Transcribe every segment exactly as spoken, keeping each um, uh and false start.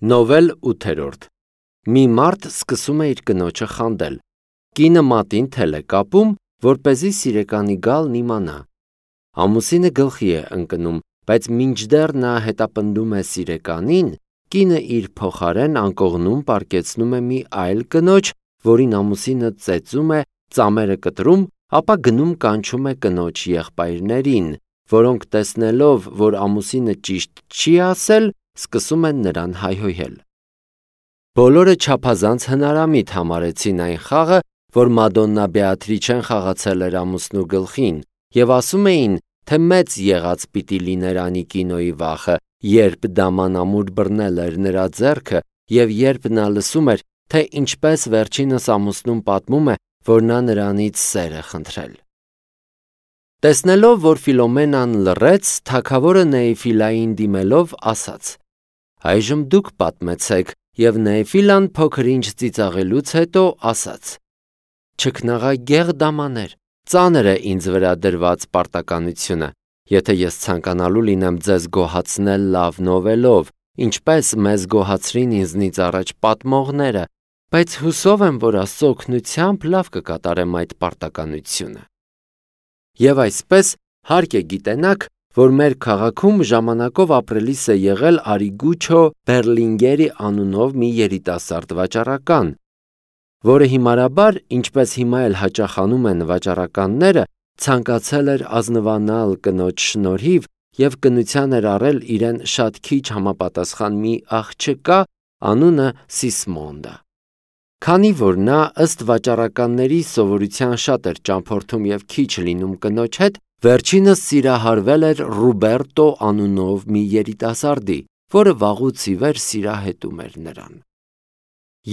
Նովել ութերորդ Մի մարդ սկսում է իր կնոջը խանդել։ Կինը մատին թել է կապում, որպեսզի սիրեկանի գալն իմանա։ Ամուսինը գլխի է ընկնում, բայց մինչդեռ նա հետապնդում է սիրեկանին, կինը իր փոխարեն անկողնում պառկեցնում է մի այլ կնոջ, որին ամուսինը ծեծում է, ծամերը կտրում, ապա գնում կանչում է կնոջ եղբայրներին, որոնք տեսնելով, որ ամուսինը ճիշտ չի ասել, սկսում են նրան հայհոյել։ Բոլորը չափազանց հնարամիտ համարեցին այն խաղը, որ Մադոննա Բեատրիչեն խաղացել էր ամուսնու գլխին, և ասում էին, թե մեծ եղած պիտի լիներ Անիկինոյի վախը, երբ դաման ամուր բռնել էր նրա ձեռքը, և երբ նա լսում էր, թե ինչպես վերջինս ամուսնուն պատմում է, որ նա նրանից սեր է խնդրել։ Տեսնելով, որ Ֆիլոմենան լռեց, թագավորը Նեիֆիլային դիմելով ասաց. «Այժմ դուք պատմեցեք», և Նեիֆիլան փոքր-ինչ ծիծաղելուց հետո ասաց. «Չքնաղագեղ դամաներ, ծանր է ինձ վրա դրված պարտականությունը, եթե ես ցանկանալու լինեմ ձեզ գոհացնել լավ նովելով, ինչպես մեզ գոհացրին ինձնից առաջ պատմողները, բայց հուսով եմ, որ Աստծո օգնությամբ լավ կկատարեմ այդ պարտականությունը։ Եվ այսպես հարկ է գիտենաք, որ մեր քաղաքում ժամանակով ապրելիս է եղել Արիգուչո Բերլինգերի անունով մի երիտասարդ վաճառական, որը հիմարաբար, ինչպես հիմա էլ հաճախ անում են վաճառականները, ցանկացել էր ազնվանալ կնոջ շնորհիվ և կնության էր առել իրեն շատ քիչ համապատասխան մի աղջկա, անունը Սիսմոնդա։ Քանի որ նա ըստ վաճառականների սովորության շատ էր ճամփորդում և քիչ լինում կնոջ հետ, վերջինս սիրահարվել էր Ռուբերտո անունով մի երիտասարդի, որը վաղուց ի վեր սիրահետում էր նրան։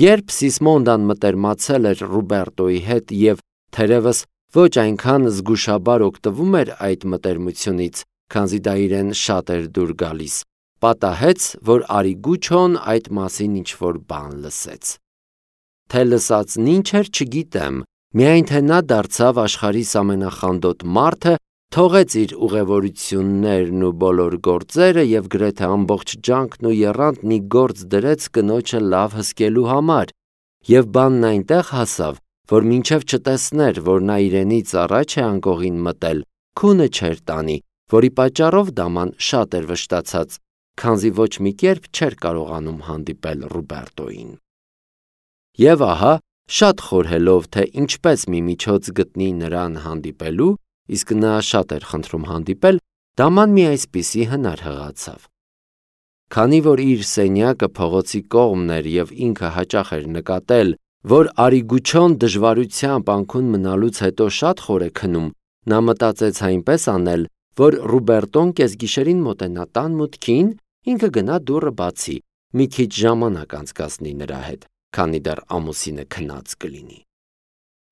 Երբ Սիսմոնդան մտերմացել էր Ռուբերտոյի հետ և թերևս ոչ այնքան զգուշաբար օգտվում էր այդ մտերմությունից, քանզի դա իրեն շատ էր դուր գալիս, պատահեց, որ Արիգուչոն այդ մասին ինչ-որ բան լսեց։ Թե լսածն ինչ էր, չգիտեմ, միայն թե նա դարձավ աշխարհիս ամենախանդոտ մարդը, թողեց իր ուղևորություններն ու բոլոր գործերը և գրեթե ամբողջ ջանքն ու եռանդն ի գործ դրեց կնոջը լավ հսկելու համար, և բանն այնտեղ հասավ, որ մինչև չտեսներ, որ նա իրենից առաջ է անկողին մտել, քունը չէր տանի, որի պատճառով դաման շատ էր վշտացած, քանզի ոչ մի կերպ չէր կարողանում հանդիպել Ռուբերտոյին։ Եվ ահա, շատ խորհելով, թե ինչպես մի միջոց գտնի նրան հանդիպելու, իսկ նա շատ էր խնդրում հանդիպել, դաման մի այսպիսի հնար հղացավ։ Քանի որ իր սենյակը փողոցի կողմն էր և ինքը հաճախ էր նկատել, որ Արիգուչոն դժվարությամբ անքուն մնալուց հետո շատ խոր է քնում, նա մտածեց այնպես անել, որ Ռուբերտոն կեսգիշերին մոտենա տան մուտքին, ինքը գնա դուռը բացի, մի քիչ ժամանակ անցկացնի նրա հետ, քանի դեռ ամուսինը քնած կլինի։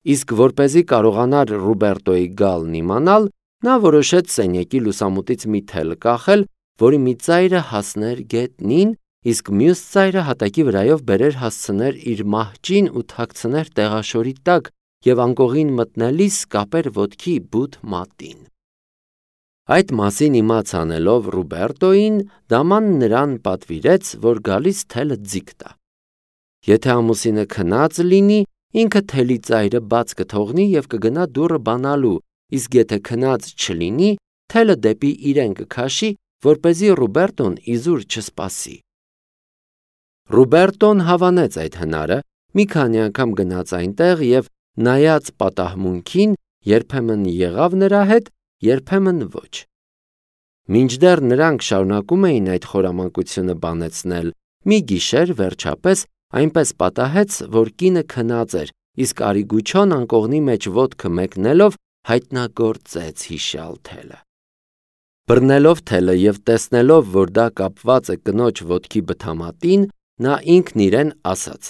Իսկ որպեսզի կարողանար Ռուբերտոյի գալն իմանալ, նա որոշեց սենյակի լուսամուտից մի թել կախել, որի մի ծայրը հասներ գետնին, իսկ մյուս ծայրը հատակի վրայով բերեր հասցներ իր մահճին ու թաքցներ տեղաշորի տակ և անկողին մտնելիս կապեր ոտքի բութ մատին։ Այդ մասին իմաց անելով Ռուբերտոյին, դաման նրան պատվիրեց, որ գալիս թելը ձիգ տա։ Եթե ամուսինը քնած լինի, ինքը թելի ծայրը բաց կթողնի և կգնա դուռը բանալու, իսկ եթե քնած չլինի, թելը դեպի իրեն կքաշի, որպեսզի Ռուբերտոն իզուր չսպասի։ Ռուբերտոն հավանեց այդ հնարը, մի քանի անգամ գնաց այնտեղ և նայած պատահմունքին, երբեմն եղավ նրա հետ, երբեմն ոչ։ Մինչդեռ նրանք շարունակում էին այդ խորամանկությունը բանեցնել, մի գիշեր վերջապես այնպես պատահեց, որ կինը քնած էր, իսկ Արիգուչոն անկողնի մեջ ոտքը մեկնելով հայտնագործեց հիշյալ թելը։ Բռնելով թելը և տեսնելով, որ դա կապված է կնոջ ոտքի բթամատին, նա ինքն իրեն ասաց.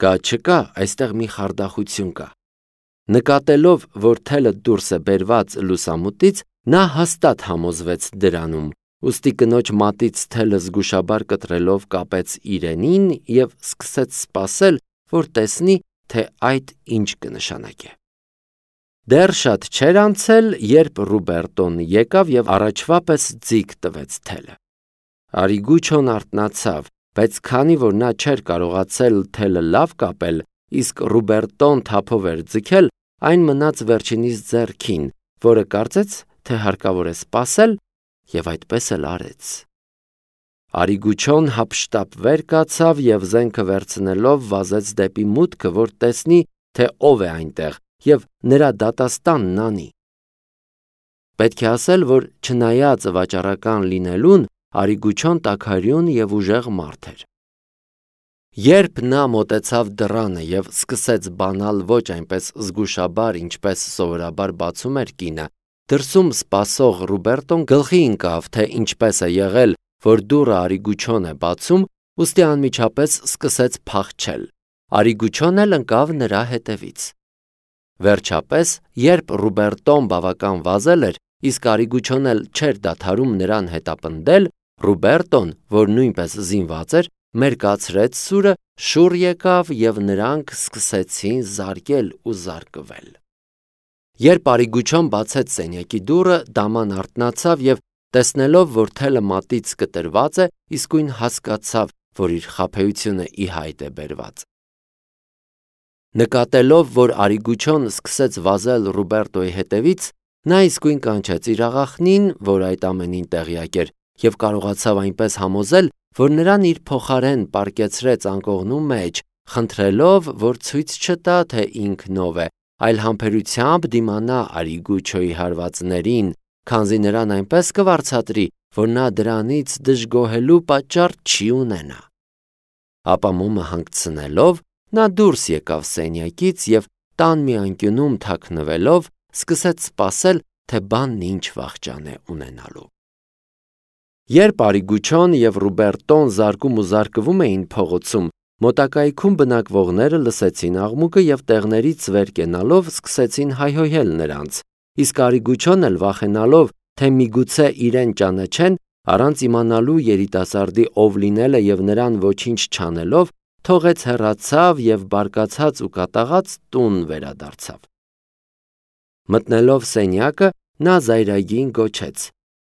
«Կա չկա, այստեղ մի խարդախություն կա»։ Նկատելով, որ թելը դուրս է բերված լուսամուտից, նա հաստատ համոզվեց դրանում, ուստի կնոջ մատից թելը զգուշաբար կտրելով կապեց իրենին և սկսեց սպասել, որ տեսնի, թե այդ ինչ կնշանակե։ Դեռ շատ չէր անցել, երբ Ռուբերտոն եկավ և առաջվա պես ձիգ տվեց թելը։ Արիգուչոն արթնացավ բայց քանի որ նա չէր կարողացել թելը լավ կապել, իսկ Ռուբերտոն թափով էր ձգել, այն մնաց վերջինիս ձեռքին, որը կարծեց, թե հարկավոր է սպասել, եւ այդպես էլ արեց։ Արիգուչոն հափշտապ վեր կացավ եւ զենքը վերցնելով վազեց դեպի մուտքը, որ տեսնի, թե ով է այնտեղ եւ նրա դատաստանն անի։ Պետք է ասել, որ չնայած վաճառական լինելուն, Արիգուչոն տաքարյուն եւ ուժեղ մարդ էր։ Երբ նա մոտեցավ դռանը եւ սկսեց բանալ ոչ այնպես զգուշաբար, ինչպես սովորաբար բացում էր կինը, դրսում սպասող Ռուբերտոն գլխի ընկավ, թե ինչպես է եղել, որ դուռը Արիգուչոն է բացում, ուստի անմիջապես սկսեց փախչել։ Արիգուչոն էլ ընկավ նրա հետևից։ Վերջապես, երբ Ռուբերտոն բավական վազել էր, իսկ Արիգուչոն էլ չէր դադարում նրան հետապնդել, Ռուբերտոն, որ նույնպես զինված էր, մերկացրեց սուրը, շուռ եկավ եւ նրանք սկսեցին զարկել ու զարկվել։ Երբ Արիգուչոն բացեց սենյակի դուռը, դաման արթնացավ եւ տեսնելով, որ թելը մատից կտրված է, իսկույն հասկացավ, որ իր խաբեությունը ի հայտ է բերված։ Նկատելով, որ Արիգուչոն սկսեց վազել Ռուբերտոյի հետևից, նա իսկույն կանչեց իր աղախնին, որ այդ ամենին տեղյակ էր, եւ կարողացավ այնպես համոզել, որ նրան իր փոխարեն պառկեցրեց անկողնու մեջ, խնդրելով, որ ցույց չտա, թե ինքն ով է, այլ համբերությամբ դիմանա Արիգուչոյի հարվածներին, քանզի նրան այնպես կվարձատրի, որ նա դրանից դժգոհելու պատճառ չի ունենա։ Ապա մոմը հանգցնելով, նա դուրս եկավ սենյակից եւ տան մի անկյունում թաքնվելով, սկսեց սպասել, թե բանն ինչ վախճան է ունենալու։ Երբ Արիգուչոն եւ Ռուբերտոն զարկում ու զարկվում էին փողոցում, մոտակայքում բնակվողները լսեցին աղմուկը եւ տեղներից վեր կենալով սկսեցին հայհոյել նրանց, իսկ Արիգուչոն էլ վախենալով, թե միգուցե իրեն ճանաչեն, առանց իմանալու երիտասարդի ով լինելը եւ նրան ոչինչ չանելով, թողեց հեռացավ եւ բարկացած ու կատաղած տուն վերադարձավ։ Մտնելով սենյակը, նա զայրագին գոչեց.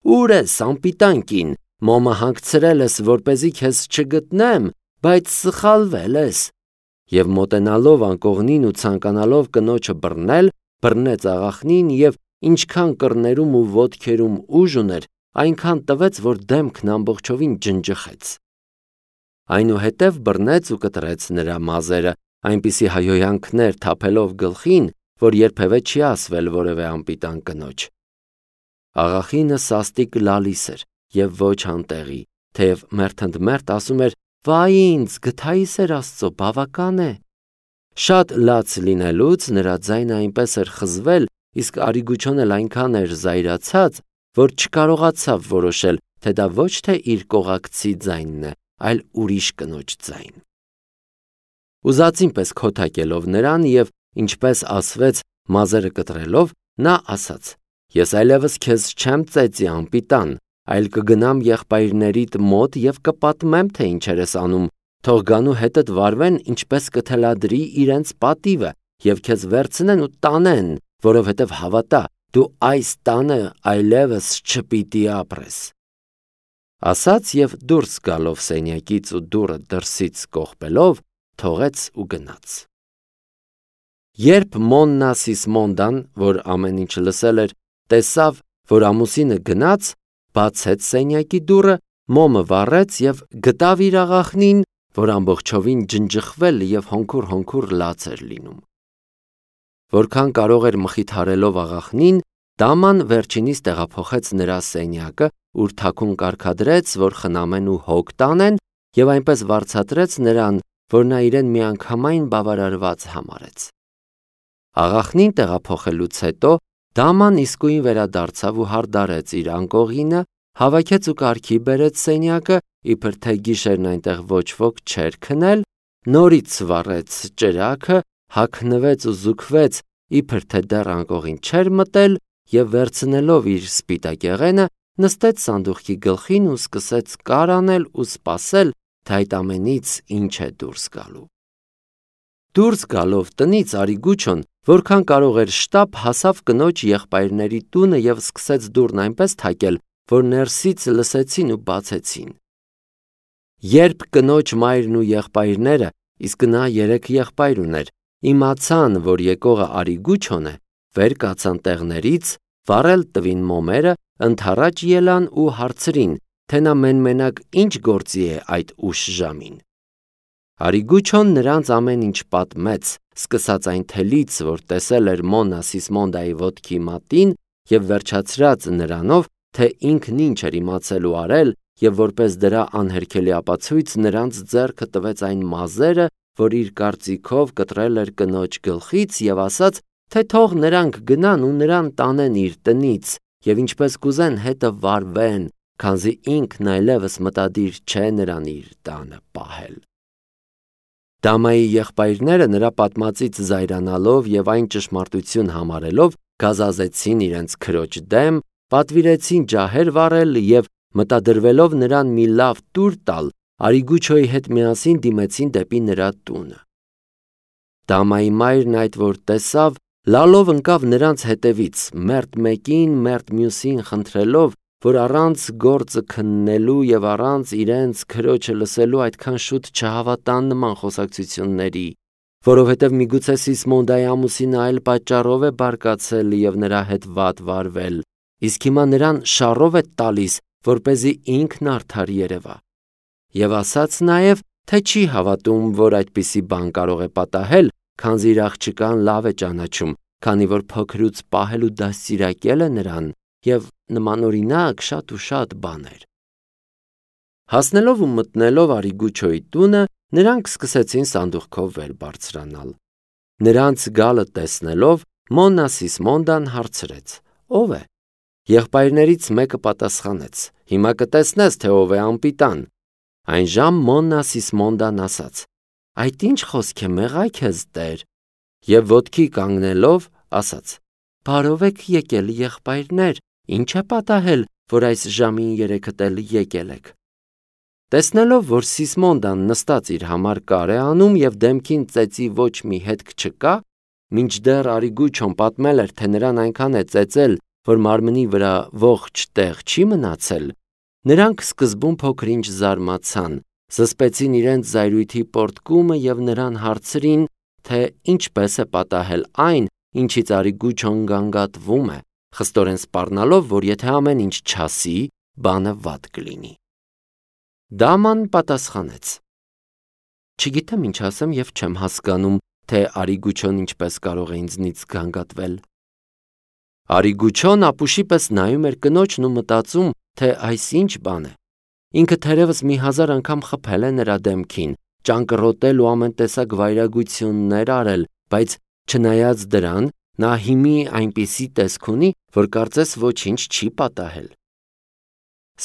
«Ուր ես, անպիտան կին, մոմը հանգցրել ես, որպեսզի քեզ չգտնեմ, բայց սխալվել ես»։ Եվ մոտենալով անկողնին ու ցանկանալով կնոջը բռնել, բռնեց աղախնին եւ ինչքան կռներում ու ոտքերում ուժ ուներ, այնքան տվեց, որ դեմքն ամբողջովին ջնջխեց։ Այնուհետև բռնեց ու կտրեց նրա մազերը, այնպիսի հայհոյանքներ թափելով գլխին, որ երբևէ չի ասվել որևէ անպիտան կնոջ։ Աղախինը սաստիկ լալիս էր եւ ոչ անտեղի, թեև մերթընդմերթ ասում էր. «Վայ ինձ, գթայիս էր Աստծո, բավական է»։ Շատ լաց լինելուց նրա ձայնը այնպես էր խզվել, իսկ Արիգուչոն էլ այնքան էր զայրացած, որ չկարողացավ որոշել, թե դա ոչ թե իր կողակցի ձայնն է, այլ ուրիշ կնոջ ձայն։ Ուզածին պես քոթակելով նրան եւ ինչպես ասվեց մազերը կտրելով, նա ասաց. «Ես այլևս քեզ չեմ ծեծի անպիտան, այլ կգնամ եղբայրներիդ մոտ եւ կպատմեմ, թե ինչեր ես անում, թող գանու հետդ վարվեն, ինչպես կթելադրի իրենց պատիվը եւ քեզ վերցնեն ու տանեն, որովհետեւ հավատա, դու այս տանը այլևս չպիտի ապրես»։ Ասաց եւ դուրս գալով սենյակից ու դուռը դրսից կողպելով, թողեց ու գնաց։ Երբ Մոննա Սիսմոնդան, որ ամեն ինչ լսել էր, տեսավ, որ ամուսինը գնաց, բացեց սենյակի դուռը, մոմը վառեց եւ գտավ իր աղախնին, որ ամբողջովին ջնջխվել եւ հոնքուր-հոնքուր լաց էր լինում։ Որքան կարող էր մխիթարելով աղախնին, դաման վերջինիս տեղափոխեց նրա սենյակը, ուր թաքուն կարգադրեց, որ խնամեն ու հոգ տանեն, եւ այնպես վարձատրեց նրան, որ նա իրեն միանգամայն բավարարված համարեց։ Աղախնին տեղափոխելուց հետո դաման իսկույն վերադարձավ ու հարդարեց իր անկողինը, հավաքեց ու կարգի բերեց սենյակը, իբր թե գիշերն այնտեղ ոչ ոք չէր քնել, նորից վառեց ճրագը, հագնվեց ու զուգվեց, իբր թե դեռ անկողին չէր մտել, եւ վերցնելով իր սպիտակեղենը, նստեց սանդուղքի գլխին ու սկսեց կար անել ու սպասել, թե այդ ամենից ինչ է դուրս գալու։ Դուրս գալով տնից Արիգուչոն, որքան կարող էր շտապ հասավ կնոջ եղբայրների տունը եւ սկսեց դուռն այնպես թակել, որ ներսից լսեցին ու բացեցին։ Երբ կնոջ մայրն ու եղբայրները, իսկ նա երեք եղբայր ուներ, իմացան, որ եկողը Արիգուչոն է, վեր կացան տեղներից, վառել տվին մոմերը, ընդառաջ ելան ու հարցրին, թե նա մեն-մենակ ինչ գործի է այդ ուշ ժամին։ Արիգուչոն նրանց ամեն ինչ պատմեց, սկսած այն թելից, որ տեսել էր Մոննա Սիսմոնդայի ոտքի մատին և վերջացրած նրանով, թե ինքն ինչ էր իմացել ու արել, և որպես դրա անհերքելի ապացույց նրանց ձեռքը տվեց այն մազերը, որ իր կարծիքով կտրել էր կնոջ գլխից, և ասաց, թե թող նրանք գնան ու նրան տանեն իր տնից, և ինչպես կուզեն հետը վարվեն, քանզի ինքն այլևս մտադիր չէ նրան իր տանը պահել։ Դամայի եղբայրները նրա պատմածից զայրանալով և այն ճշմարտություն համարելով, գազազեցին իրենց քրոջ դեմ, պատվիրեցին ջահեր վառել և մտադրվելով նրան մի լավ տուր տալ, Արիգուչոյի հետ միասին դիմեցին դեպի նրա տունը։ Դամայի մայրն այդ որ տեսավ, լալով ընկավ նրանց հետևից, մերթ մեկին, մերթ մյուսին խնդրելով, որ առանց գործը քննելու և առանց իրենց քրոջը լսելու այդքան շուտ չհավատան նման խոսակցությունների, որովհետև միգուցե Սիսմոնդայի ամուսինը այլ պատճառով է բարկացել և նրա հետ վատ վարվել, իսկ հիմա նրան շառով է տալիս, որպեսզի ինքն արդար երևա։ Եվ ասաց նաև, թե չի հավատում, որ այդպիսի բան կարող է պատահել, քանզի իր աղջկան լավ է ճանաչում, քանի որ փոքրուց պահել ու դաստիարակել է նրան, և նմանօրինակ շատ ու շատ բաներ։ Հասնելով ու մտնելով Արիգուչոյի տունը, նրանք սկսեցին սանդուղքով վեր բարձրանալ։ Նրանց գալը տեսնելով, Մոննա Սիսմոնդան հարցրեց. «Ո՞վ է»։ Եղբայրներից մեկը պատասխանեց. «Հիմա կտեսնես, թե ով է անպիտան»։ Այնժամ Մոննա Սիսմոնդան ասաց. «Այդ ինչ խոսք է, մեղա քեզ Տեր»։ Եվ ոտքի կանգնելով ասաց. «Բարով եք եկել, եղբայրներ, ինչ է պատահել, որ այս ժամին երեքդ էլ եկել եք»։ Տեսնելով, որ Սիսմոնդան նստած իր համար կար է անում և դեմքին ծեծի ոչ մի հետք չկա, մինչդեռ Արիգուչոն պատմել էր, թե նրան այնքան է ծեծել, որ մարմնի վրա ողջ տեղ չի մնացել, նրանք սկզբում փոքր-ինչ զարմացան, զսպեցին իրենց զայրույթի պոռթկումը և նրան հարցրին, թե ինչպես է պատահել այն, ինչից Արիգուչոն գանգատվում է, խստորեն սպառնալով, որ եթե ամեն ինչ չասի, բանը վատ կլինի։ Դաման պատասխանեց. «Չգիտեմ ինչ ասեմ և չեմ հասկանում, թե Արիգուչոն ինչպես կարող է ինձնից գանգատվել»։ Արիգուչոն ապուշի պես նայում էր կնոջն ու մտածում, թե այս ինչ բան է։ Ինքը թերևս մի հազար անգամ խփել է նրա դեմքին, ճանկռոտել ու ամեն տեսակ վայրագություններ արել, բայց չնայած դրան, նա հիմի այնպիսի տեսք ունի, որ կարծես ոչինչ չի պատահել։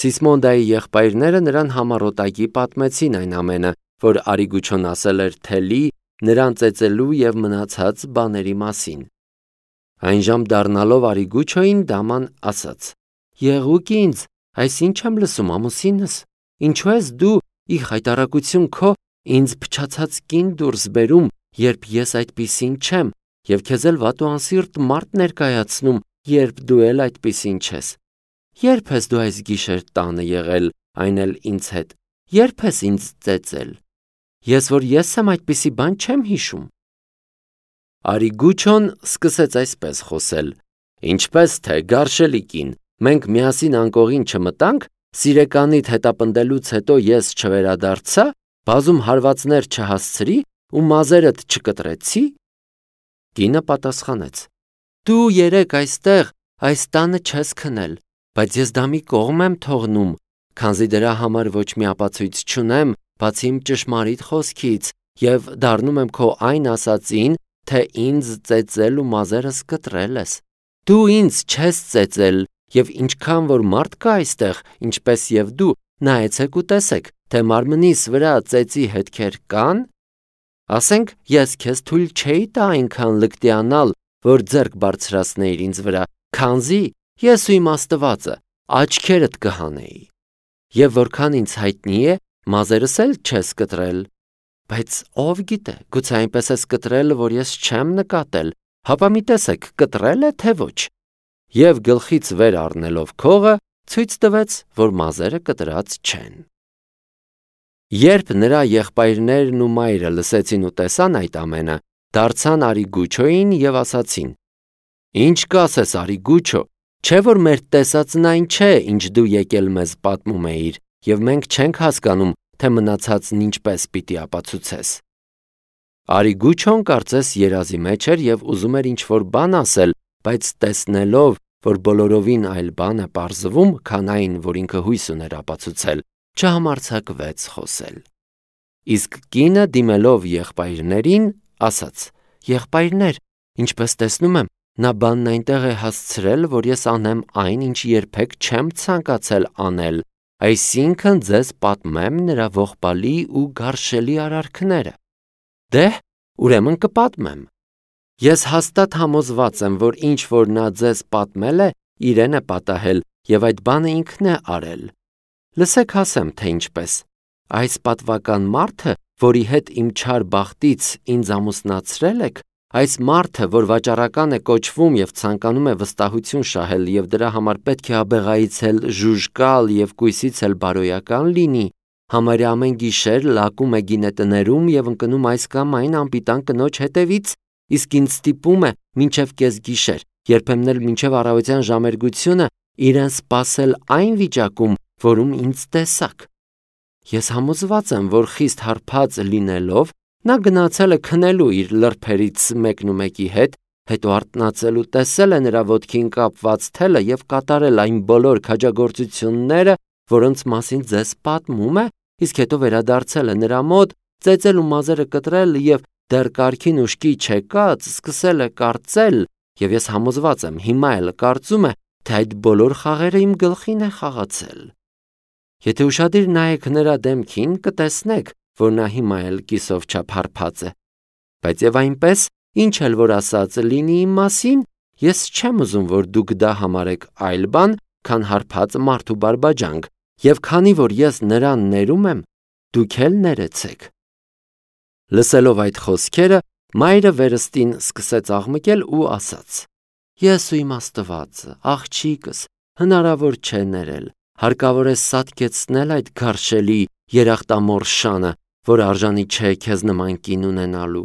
Սիսմոնդայի եղբայրները նրան համառոտակի պատմեցին այն ամենը, որ Արիգուչոն ասել էր թելի, նրան ծեծելու և մնացած բաների մասին։ Այնժամ դառնալով Արիգուչոյին, դաման ասաց. «Եղուկ ինձ, այս ինչ եմ լսում, ամուսինս, ինչու ես դու ի խայտառակություն քո ինձ փչացած կին դուրս բերում, երբ ես այդպիսին չեմ, և քեզ էլ վատ ու անսիրտ մարդ ներկայացնում, երբ դու էլ այդպիսին չես։ Ե՞րբ ես դու այս գիշեր տանը եղել, այն էլ ինձ հետ, ե՞րբ ես ինձ ծեծել։ Ես որ ես եմ, այդպիսի բան չեմ հիշում»։ Արիգուչոն սկսեց այսպես խոսել. «Ինչպես թե, գարշելի կին, մենք միասին անկողին չմտանք, սիրեկանիդ հետապնդելուց հետո ես չվերադարձա, բազում հարվածներ չհասցրի ու մազերդ չկտրեցի»։ Կինը պատասխանեց. «Դու երեկ այստեղ այս տանը չես քնել, բայց ես դա մի կողմ եմ թողնում, քանզի դրա համար ոչ մի ապացույց չունեմ, բացի իմ ճշմարիտ խոսքից, և դառնում եմ քո այն ասածին, թե ինձ ծեծել ու մազերս կտրել ես։ Դու ինձ չես ծեծել, և ինչքան որ մարդ կա այստեղ, ինչպես և դու, նայեցեք ու տեսեք, թե մարմնիս վրա ծեծի հետքեր կան։ Ասենք, ես քեզ թույլ չէի տա այնքան լկտիանալ, որ ձեռք բարձրացնեիր ինձ վրա, քանզի ես ու իմ Աստվածը աչքերդ կհանեի։ Եվ որքան ինձ հայտնի է, մազերս էլ չես կտրել։ Բայց ով գիտե, գուցե այնպես ես կտրել, որ ես չեմ նկատել, հապա մի տեսեք, կտրել է, թե ոչ։ Եվ գլխից վեր առնելով քողը, ցույց տվեց, որ մազերը կտրած չեն։ Երբ նրա եղբայրներն ու մայրը լսեցին ու տեսան այդ ամենը, դարձան Արիգուչոյին եւ ասացին. «Ինչ կասես, Արիգուչո, չէ՞ որ մեր տեսածն այն չէ, ինչ դու եկել մեզ պատմում էիր, եւ մենք չենք հասկանում, թե մնացածն ինչպես պիտի ապացուցես»։ Արիգուչոն կարծես երազի մեջ էր եւ ուզում էր ինչ-որ բան ասել, բայց տեսնելով, որ բոլորովին այլ բան է պարզվում, քան այն, որ ինքը հույս ուներ ապացուցել, չհամարձակվեց խոսել։ Իսկ կինը դիմելով եղբայրներին, ասաց. «Եղբայրներ, ինչպես տեսնում եմ, նա բանն այնտեղ է հասցրել, որ ես անեմ այն, ինչ երբեք չեմ ցանկացել անել, այսինքն ձեզ պատմեմ նրա ողբալի ու գարշելի արարքները»։ Դե, ուրեմն կպատմեմ։ Ես հաստատ համոզված եմ, որ ինչ որ նա ձեզ պատմել է, իրեն է պատահել եւ այդ բանը ինքն է արել։ Լսեք ասեմ, թե ինչպես։ Այս պատվական մարդը, որի հետ իմ չար բախտից ինձ ամուսնացրել եք, այս մարդը, որ վաճառական է կոչվում եւ ցանկանում է վստահություն շահել եւ դրա համար պետք է աբեղայից էլ ժուժկալ եւ կույսից էլ բարոյական լինի, համարյա ամեն գիշեր լակում է գինետներում եւ ընկնում այս կամ այն անպիտան կնոջ հետևից, իսկ ինձ ստիպում է մինչև կեսգիշեր, երբեմն էլ մինչև առավոտյան ժամերգությունը իրեն սպասել այն վիճակում, որում ինձ տեսաք։ Ես համոզված եմ, որ խիստ հարբած լինելով, նա գնացել է քնելու իր լրբերից մեկնումեկի հետ, հետո արթնացել ու տեսել է նրա ոտքին կապված թելը եւ կատարել այն բոլոր քաջագործությունները, որոնց մասին ձեզ պատմում է, իսկ հետո վերադարձել է նրա մոտ, ծեծել ու մազերը կտրել եւ դեռ կարգին ուշքի չեկած սկսել է կարծել, եւ ես համոզված եմ, հիմա էլ կարծում է, թե այդ բոլոր խաղերը իմ գլխին է խաղացել։ Եթե ուշադիր նայեք նրա դեմքին, կտեսնեք, որ նա հիմա էլ կիսով չափ հարբած է։ Բայց եւ այնպես, ինչ էլ որ ասած լինի իմ մասին, ես չեմ ուզում, որ դուք դա համարեք այլ բան, քան հարբած մարդու բարբաջանք, եւ քանի որ ես նրան ներում եմ, դուք էլ ներեցեք։ Լսելով այդ խոսքերը, մայրը վերստին սկսեց աղմկել ու ասաց. Ես ու իմ Աստվածը, աղջիկս, հնարավոր չէ ներել, հարկավոր է սատկեցնել այդ գարշելի երախտամոռ շանը, որ արժանի չէ քեզ նման կին ունենալու։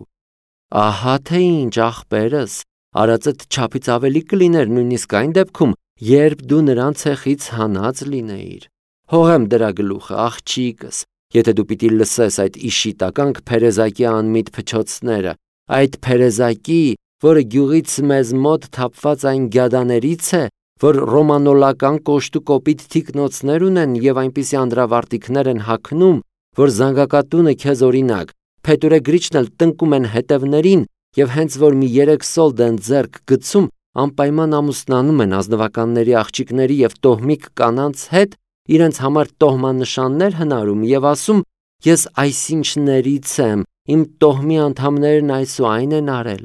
Ահա թե ինչ, աղբերս, արածդ չափից ավելի կլիներ նույնիսկ այն դեպքում, երբ դու նրան ցեխից հանած լինեիր։ Հողեմ դրա գլուխը, աղջիկս, եթե դու պիտի լսես այդ իշիտականք Փերեզակի անմիտ փչոցները, այդ Փերեզակի, որը գյուղից մեզ մոտ թափված այն գյադաներից է, որ ռոմանոլական կոշտու կոպիտ թիկնոցներ ունեն եւ այնպիսի անդրավարտիքներ են հագնում, որ զանգակատունը քեզ օրինակ, փետուրեգրիչն էլ տնկում են հետևներին եւ հենց որ մի երեք սոլդ են ձեռք գցում, անպայման ամուսնանում են ազնվականների աղջիկների եւ տոհմիկ կանանց հետ, իրենց համար տոհմանշաններ հնարում եւ ասում. ես այսինչներից եմ, իմ տոհմի անդամներն այս ու այն են արել։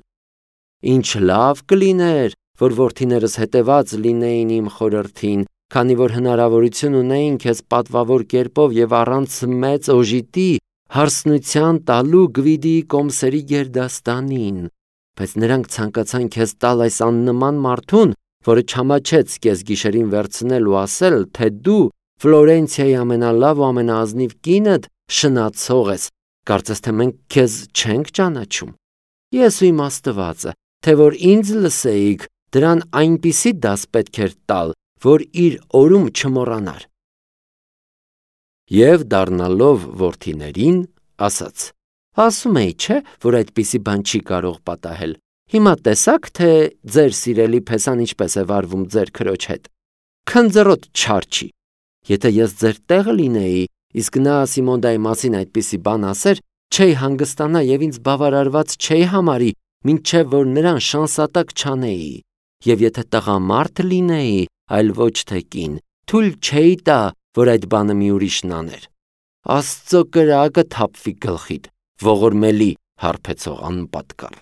Ինչ լավ կլիներ, որ որդիներս հետևած լինեին իմ խորհրդին, քանի որ հնարավորություն ունեին քեզ պատվավոր կերպով եւ առանց մեծ օժիտի հարսնության տալու Գվիդիի կոմսերի գերդաստանին, բայց նրանք ցանկացան քեզ տալ այս աննման մարդուն, որը չամաչեց քեզ գիշերին վերցնել ու ասել, թե դու Ֆլորենցիայի ամենալավ ու ամենաազնիվ կինդ շնացող ես, կարծես թե մենք քեզ չենք ճանաչում։ Ես ու իմ Աստվածը, թե որ ինձ լսեիք, դրան այնպիսի դաս պետք էր տալ, որ իր օրում չմոռանար։ Եվ դառնալով որդիներին, ասաց. ասում էի, չէ, որ այդպիսի բան չի կարող պատահել։ Հիմա տեսաք, թե ձեր սիրելի փեսան ինչպես է վարվում ձեր քրոջ հետ։ Քնձռոտ չար չի։ Եթե ես ձեր տեղը լինեի, իսկ նա Սիմոնդայի մասին այդպիսի բան ասեր, չէի հանգստանա եւ ինձ բավարարված չէի համարի, մինչեւ որ նրան շանսատակ չանեի։ Եվ եթե տղամարդ լինեի, այլ ոչ թե կին, թույլ չէի տա, որ այդ բանը մի ուրիշն աներ։ Աստծո կրակը թափվի գլխիդ, ողորմելի հարբեցող անպատկառ։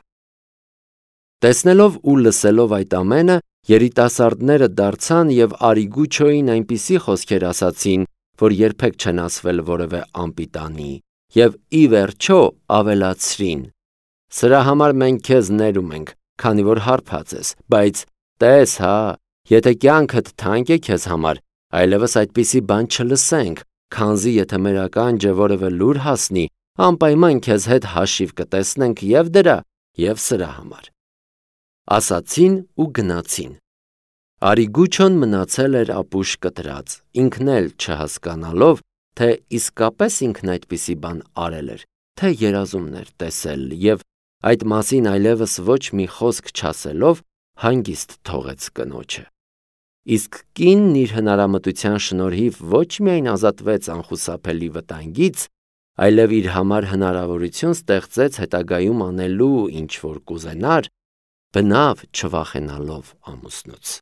Տեսնելով ու լսելով այդ ամենը, երիտասարդները դարձան եւ Արիգուչոյին այնպիսի խոսքեր ասացին, որ երբեք չեն ասվել որևէ անպիտանի, եւ ի վերջո ավելացրին. Սրա համար մենք քեզ ներում ենք, քանի որ հարբած ես, բայց տես հա, եթե կյանքդ թանկ է քեզ համար, այլևս այդպիսի բան չլսենք, քանզի եթե մեր ականջը որևէ լուր հասնի, անպայման քեզ հետ հաշիվ կտեսնենք եւ դրա, եւ սրա համար։ Ասացին ու գնացին։ Արիգուչոն մնացել էր ապուշ կտրած, ինքն էլ չհասկանալով, թե իսկապես ինքն այդպիսի բան արել էր, թե երազումներ տեսել եւ այդ մասին այլևս ոչ մի խոսք չասելով հանգիստ թողեց կնոջը։ Իսկ կինն իր հնարամտության շնորհիվ ոչ միայն ազատվեց անխուսափելի վտանգից, այլև իր համար հնարավորություն ստեղծեց հետագայում անելու ինչ որ կուզենար, բնավ չվախենալով ամուսնուց։